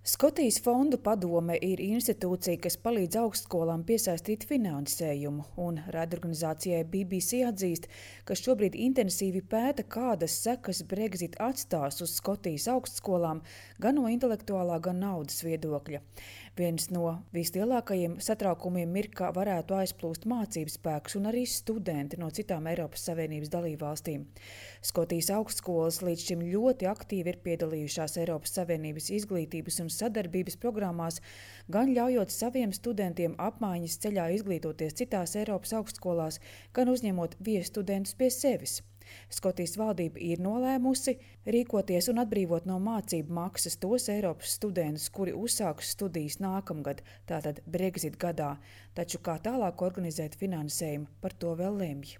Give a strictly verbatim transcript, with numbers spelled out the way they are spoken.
Skotijas fondu padome ir institūcija, kas palīdz augstskolām piesaistīt finansējumu, un raidorganizācijai B B C atzīst, ka šobrīd intensīvi pēta, kādas sekas Brexit atstās uz Skotijas augstskolām gan no intelektuālā, gan naudas viedokļa. Viens no vislielākajiem satraukumiem ir, ka varētu aizplūst mācību spēks un arī studenti no citām Eiropas Savienības dalībvalstīm. Skotijas augstskolas līdz šim ļoti aktīvi ir piedalījušās Eiropas Savienības izglītības un sadarbības programmās, gan ļaujot saviem studentiem apmaiņas ceļā izglītoties citās Eiropas augstskolās, gan uzņemot viesstudentus pie sevis. Skotijas valdība ir nolēmusi rīkoties un atbrīvot no mācību maksas tos Eiropas studentus, kuri uzsāks studijas nākamgad, tātad Brexit gadā, taču kā tālāk organizēt finansējumu, par to vēl lemj.